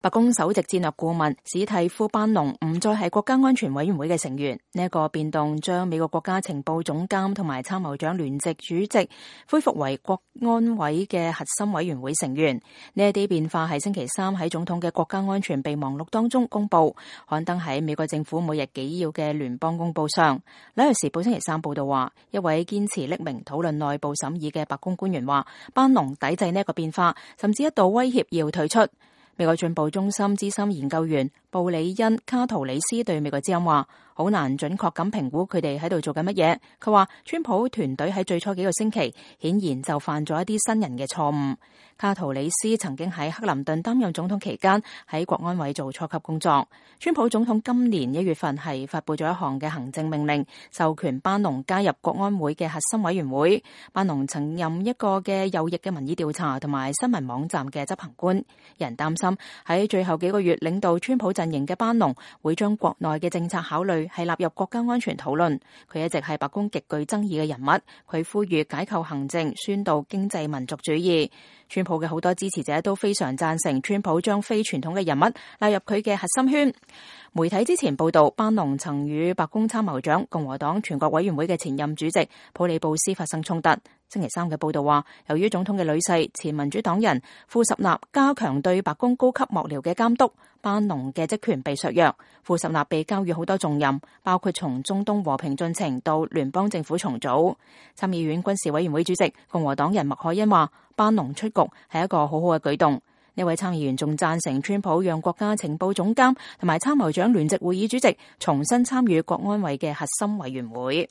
白宮首席戰略顧問史蒂夫班農唔再係國家安全委員會嘅成員，呢一個變動將美國國家情報總監同埋參謀長聯席主席恢復為國安委嘅核心委員會成員。呢一啲變化係星期三喺總統嘅國家安全備忘錄當中公布，刊登喺美國政府每日紀要嘅聯邦公報上。紐約時報星期三報道話，一位堅持匿名討論內部審議嘅白宮官員話，班農抵制呢一個變化，甚至一度威脅要退出。美國進步中心資深研究員布里恩卡圖里斯對美國之音話，好難準確咁評估佢哋喺度做緊乜嘢。佢話川普團隊喺最初幾個星期顯然就犯咗一啲新人嘅錯誤。卡圖里斯曾經喺克林頓擔任總統期間喺國安委做初級工作。川普總統今年1月份係發佈咗一項嘅行政命令，授權班農加入國安會嘅核心委員會。班農曾任一個嘅右翼嘅民意調查同埋新聞網站嘅執行官。有人擔心喺最後幾個月領導川普陣營嘅班農會將國內嘅政策考慮係納入國家安全討論。佢一直係白宮極具爭議嘅人物，佢呼籲解構行政，宣導經濟民族主義。川普嘅好多支持者都非常贊成川普將非傳統嘅人物納入佢嘅核心圈。媒體之前報道，班農曾與白宮參謀長、共和黨全國委員會嘅前任主席普里布斯發生衝突。星期三嘅報道話，由於總統嘅女婿前民主黨人庫什納加強對白宮高級幕僚嘅監督，班農嘅職權被削弱。庫什納被交予好多重任，包括從中東和平進程到聯邦政府重組。參議院軍事委員會主席共和黨人麥凱恩話，班農出局係一個好好嘅舉動。呢位參議員仲贊成川普讓國家情報總監同埋參謀長聯席會議主席重新參與國安委嘅核心委員會。